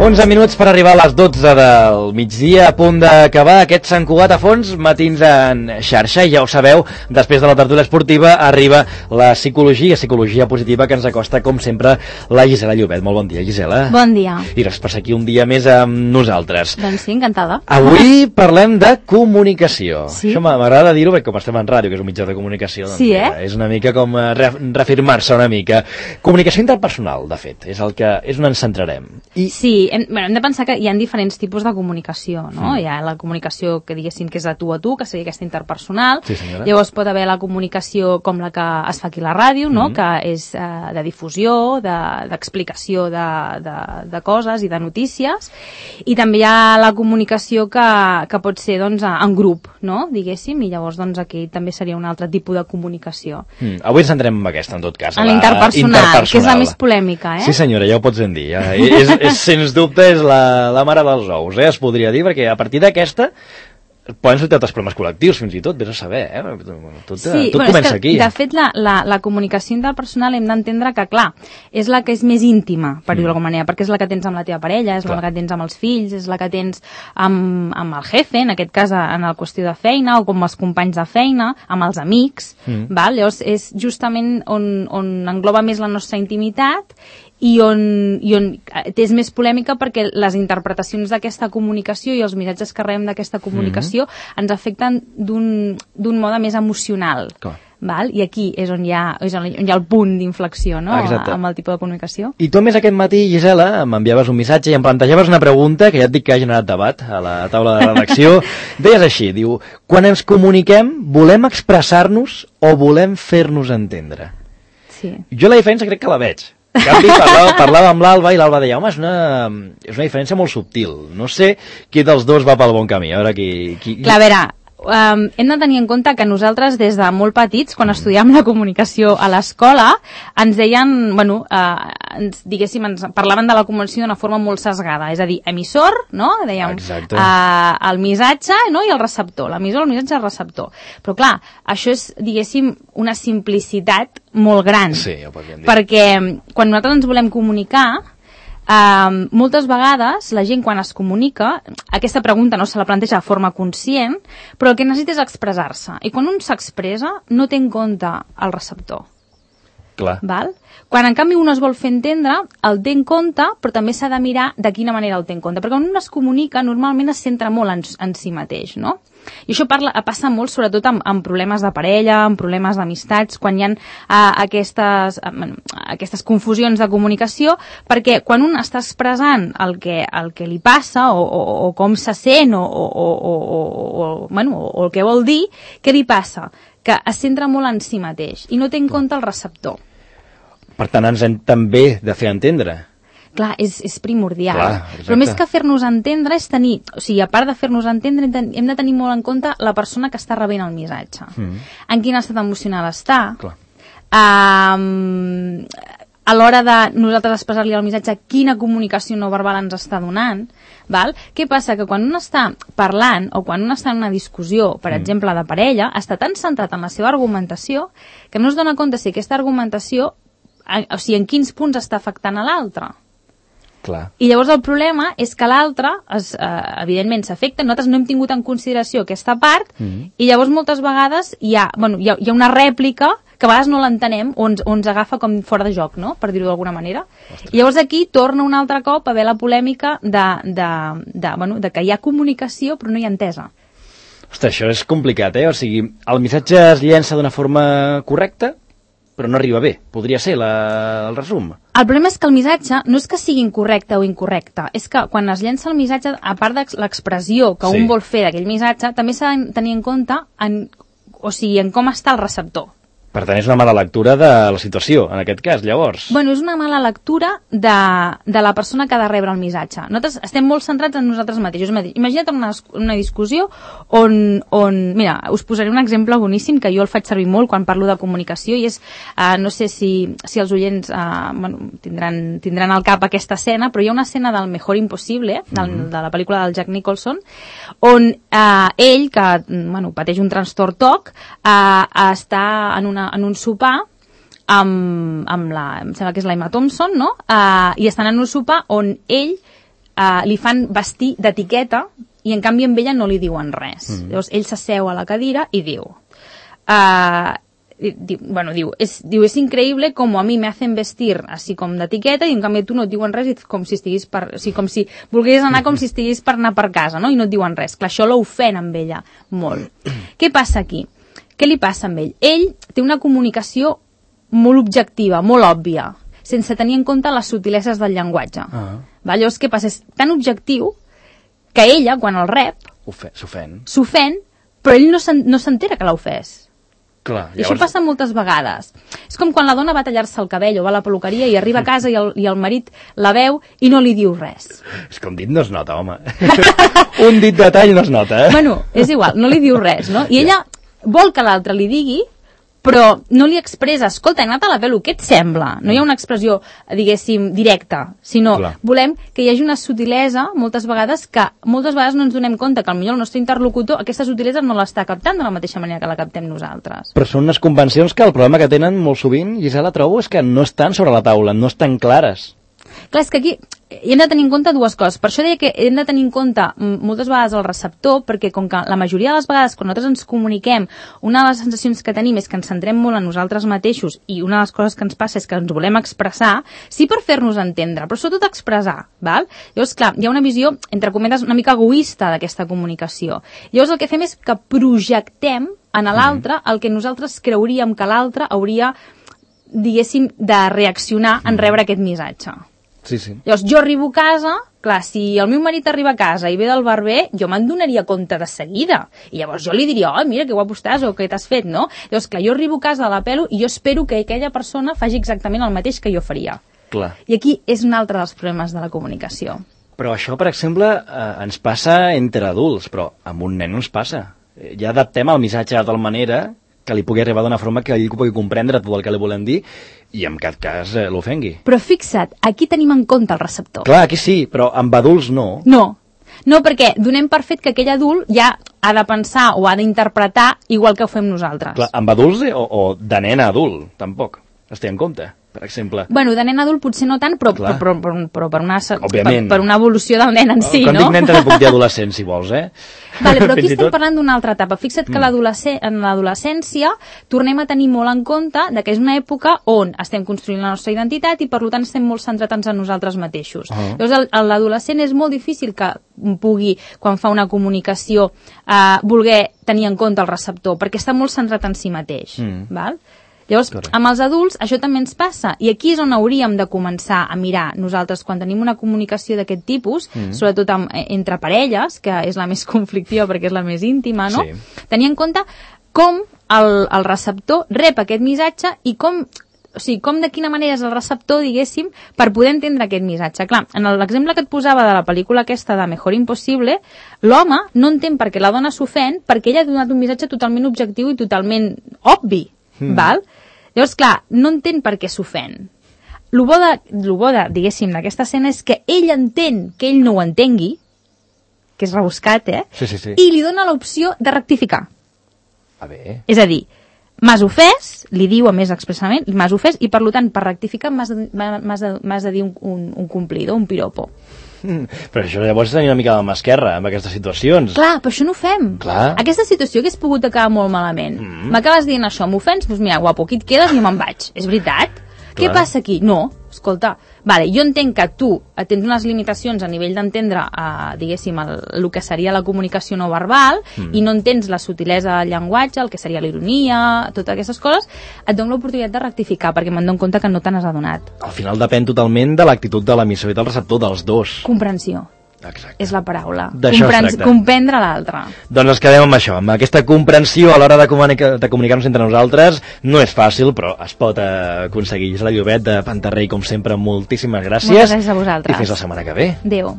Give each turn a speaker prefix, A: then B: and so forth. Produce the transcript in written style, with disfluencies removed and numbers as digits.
A: 11 minuts per arribar a les 12 del migdia, a punt d'acabar aquest Sant Cugat a fons, matins en xarxa, i ja ho sabeu, després de la tertúlia esportiva arriba la psicologia positiva, que ens acosta, com sempre, la Gisela Llobet. Molt bon dia, Gisela.
B: Bon dia.
A: I gràcies per ser aquí un dia més amb nosaltres.
B: Doncs sí, encantada.
A: Avui parlem de comunicació.
B: Sí.
A: Això m'agrada dir-ho, perquè com estem en ràdio, que és un mitjà de comunicació, doncs
B: sí,
A: és una mica com reafirmar-se una mica. Comunicació interpersonal, de fet, és on ens centrarem.
B: Sí, hem de pensar que hi ha diferents tipus de comunicació, no? Hi ha la comunicació que diguéssim que és de tu a tu, que seria aquesta interpersonal.
A: Sí, senyora.
B: Llavors pot haver la comunicació com la que es fa aquí a la ràdio, no? Que és de difusió, d'explicació de coses i de notícies. I també hi ha la comunicació que pot ser, doncs, en grup, no? Diguéssim, i llavors, doncs, aquí també seria un altre tipus de comunicació.
A: Avui ens centrem en aquesta, en tot cas.
B: En la interpersonal, que és la més polèmica,
A: Sí, senyora, ja ho pots ben dir. És sens dubte, és la mare dels ous, es podria dir, perquè a partir d'aquesta poden sortir altres problemes col·lectius, fins i tot, vés a saber, tot comença aquí.
B: De fet, la comunicació interpersonal hem d'entendre que, clar, és la que és més íntima, per dir-ho d'alguna manera, perquè és la que tens amb la teva parella, és la que tens amb els fills, és la que tens amb el jefe, en aquest cas en la qüestió de feina, o com els companys de feina, amb els amics, val? Llavors és justament on engloba més la nostra intimitat i on és més polèmica, perquè les interpretacions d'aquesta comunicació i els missatges que rebem d'aquesta comunicació ens afecten d'un mode més emocional. Val? I aquí és on hi ha el punt d'inflexió, no? Amb el tipus de comunicació.
A: I tu més aquest matí, Gisela, m'enviaves un missatge i em plantejaves una pregunta que ja et dic que ha generat debat a la taula de redacció. Deies així, diu, quan ens comuniquem, volem expressar-nos o volem fer-nos entendre?
B: Sí. Jo
A: la diferència crec que la veig. En canvi, parlava amb l'Alba i l'Alba deia, home, és una diferència molt subtil. No sé qui dels dos va pel bon camí. A veure qui...
B: Clar, a veure, hem de tenir en compte que nosaltres des de molt petits, quan estudiàvem la comunicació a l'escola, ens deien, diguéssim, ens parlaven de la comunicació d'una forma molt sesgada, és a dir, emissor, no? Dèiem, el missatge, no? I el receptor, l'emissor, el missatge, el receptor. Però clar, això és, diguéssim, una simplicitat molt gran, perquè quan nosaltres ens volem comunicar, moltes vegades la gent quan es comunica, aquesta pregunta no se la planteja de forma conscient, però el que necessita és expressar-se, i quan un s'expressa no té en compte el receptor.
A: Clar.
B: Val? Quan en canvi un es vol fer entendre, el té en compte, però també s'ha de mirar de quina manera el té en compte, perquè quan un es comunica normalment es centra molt en si mateix, no? I això passa molt sobretot amb problemes de parella, amb problemes d'amistats, quan hi ha aquestes confusions de comunicació, perquè quan un està expressant el que li passa o com se sent o el que vol dir, què li passa? Que es centra molt en si mateix i no té en compte el receptor.
A: Per tant, ens hem també de fer entendre.
B: Clar, és primordial. Però més que fer-nos entendre és tenir... O sigui, a part de fer-nos entendre, hem de tenir molt en compte la persona que està rebent el missatge. En quin estat emocional està. A l'hora de nosaltres expressar-li el missatge, quina comunicació no verbal ens està donant. Val? Què passa? Que quan un està parlant o quan un està en una discussió, per exemple, de parella, està tan centrat en la seva argumentació que no es dona compte si aquesta argumentació, o sigui, en quins punts està afectant a l'altre.
A: Clar.
B: I llavors el problema és que l'altre, evidentment, s'afecta, nosaltres no hem tingut en consideració aquesta part, i llavors moltes vegades hi ha una rèplica que a vegades no l'entenem o ens agafa com fora de joc, no? Per dir-ho d'alguna manera. I llavors aquí torna un altre cop a haver la polèmica de que hi ha comunicació però no hi ha entesa.
A: Ostres, això és complicat, O sigui, el missatge es llença d'una forma correcta, però no arriba bé. Podria ser el resum.
B: El problema és que el missatge no és que sigui incorrecte o incorrecte, és que quan es llença el missatge, a part de l'expressió que un vol fer d'aquell missatge, també s'ha de tenir en compte en com està el receptor.
A: Per tant, és una mala lectura de la situació, en aquest cas, llavors.
B: Bueno, és una mala lectura de la persona que ha de rebre el missatge. Nosaltres estem molt centrats en nosaltres mateixos. Imagina't una discussió on... Mira, us posaré un exemple boníssim que jo el faig servir molt quan parlo de comunicació i és, no sé si els oients tindran al cap aquesta escena, però hi ha una escena del Mejor Impossible, de la pel·lícula del Jack Nicholson, on ell, que pateix un trastorn TOC, està en un sopar amb em sembla que és la Emma Thompson, no? I estan en un sopar on ell li fan vestir d'etiqueta i en canvi amb ella no li diuen res. Llavors ell s'asseu a la cadira i diu es increíble como a mí me hacen vestir así com d'etiqueta i en canvi tu no et diuen res, com si estiguis com si volguessis anar com si estiguis per anar per casa, no? I no et diuen res. Clar, això l'ofèn amb ella molt. Què passa aquí? Què li passa amb ell? Ell té una comunicació molt objectiva, molt òbvia, sense tenir en compte les subtileses del llenguatge. Llavors, què passa? És tan objectiu que ella, quan el rep, s'ofèn, però ell no s'entera que l'ha ofès.
A: Clar,
B: llavors... I això passa moltes vegades. És com quan la dona va a tallar-se el cabell o va a la peluqueria i arriba a casa i el marit la veu i no li diu res.
A: És que un dit no es nota, home. Un dit de tall no es nota,
B: Bueno, és igual, no li diu res, no? I ella vol que l'altre li digui, però no li expressa, escolta, he anat a la pelo, què et sembla? No hi ha una expressió, diguéssim, directa, sinó volem que hi hagi una sutilesa, moltes vegades no ens donem compte que potser el nostre interlocutor aquesta sutilesa no l'està captant de la mateixa manera que la captem nosaltres.
A: Però són unes convencions que el problema que tenen molt sovint, Gisela, trobo, és que no estan sobre la taula, no estan clares.
B: Clar, és que aquí hem de tenir en compte dues coses. Per això deia que hem de tenir en compte moltes vegades el receptor, perquè com que la majoria de les vegades quan nosaltres ens comuniquem, una de les sensacions que tenim és que ens centrem molt en nosaltres mateixos i una de les coses que ens passa és que ens volem expressar, sí per fer-nos entendre, però sobretot expressar, val? Llavors, clar, hi ha una visió, entre cometes, una mica egoista d'aquesta comunicació. Llavors el que fem és que projectem en l'altre el que nosaltres creuríem que l'altre hauria, diguéssim, de reaccionar en rebre aquest missatge.
A: Sí, sí.
B: Llavors, jo arribo a casa, clar, si el meu marit arriba a casa i ve del barber, jo me'n donaria compte de seguida. I llavors jo li diria, oh, mira, que guapo estàs, o què t'has fet, no? Llavors, clar, jo arribo a casa, la pelo, i jo espero que aquella persona faci exactament el mateix que jo faria.
A: Clar.
B: I aquí és un altre dels problemes de la comunicació.
A: Però això, per exemple, ens passa entre adults, però amb un nen no ens passa. Ja adaptem el missatge de tal manera que li pugui arribar d'una forma que ell pugui comprendre tot el que li volem dir i en cap cas l'ofengui.
B: Però fixa't, aquí tenim en compte el receptor.
A: Clar, aquí sí, però amb adults no.
B: No, perquè donem per fet que aquell adult ja ha de pensar o ha d'interpretar igual que ho fem nosaltres.
A: Clar, amb adults o de nen a adult, tampoc. Es té en compte, per exemple.
B: Bueno, de nen a adult potser no tant, però per una evolució del nen en si,
A: no? Quan dic nen també puc dir adolescent, si vols,
B: Vale, però aquí estem parlant d'una altra etapa. Fixa't que en l'adolescència tornem a tenir molt en compte que és una època on estem construint la nostra identitat i per tant estem molt centrats en nosaltres mateixos. Llavors l'adolescent és molt difícil que pugui, quan fa una comunicació, voler tenir en compte el receptor, perquè està molt centrat en si mateix. Val? Llavors, amb els adults això també ens passa i aquí és on hauríem de començar a mirar nosaltres quan tenim una comunicació d'aquest tipus, sobretot entre parelles, que és la més conflictiva perquè és la més íntima, no? Sí. Tenir en compte com el receptor rep aquest missatge i com de quina manera és el receptor, diguéssim, per poder entendre aquest missatge. Clar, en l'exemple que et posava de la pel·lícula aquesta de Mejor Impossible, l'home no entén per què la dona s'ofèn perquè ella ha donat un missatge totalment objectiu i totalment obvi. Val? Llavors, clar, no entén per què s'ofèn. Lo bo de, diguéssim, d'aquesta escena és que ell entén que ell no ho entengui, que és rebuscat,
A: Sí.
B: I li dona l'opció de rectificar. És a dir, m'has ofès, li diu a més expressament, m'has ofès, i per tant, per rectificar m'has de dir un complidor, un piropo.
A: Però això llavors tenia una mica de mà esquerra amb aquestes situacions.
B: Clar, però això no ho fem.
A: Clar.
B: Aquesta situació hagués pogut acabar molt malament. M'acabes dient això, m'ofens? Doncs mira, guapo, aquí et quedes i jo me'n vaig. És veritat? Què passa aquí? No, escolta, vale, jo entenc que tu tens unes limitacions a nivell d'entendre, diguéssim, el que seria la comunicació no verbal i no entens la sutilesa del llenguatge, el que seria la ironia, totes aquestes coses, et dono l'oportunitat de rectificar perquè me'n dono compte que no te n'has adonat.
A: Al final depèn totalment de l'actitud de l'emissor i del receptor dels dos.
B: Comprensió.
A: Exacte.
B: És la paraula.
A: Comprendre
B: l'altre.
A: Doncs ens quedem amb això, amb aquesta comprensió a l'hora de comunicar-nos entre nosaltres. No és fàcil, però es pot aconseguir. Gisela Llobet, de Pantarrey, com sempre, moltíssimes gràcies.
B: Moltes gràcies a vosaltres.
A: I fins la setmana que ve.
B: Adéu.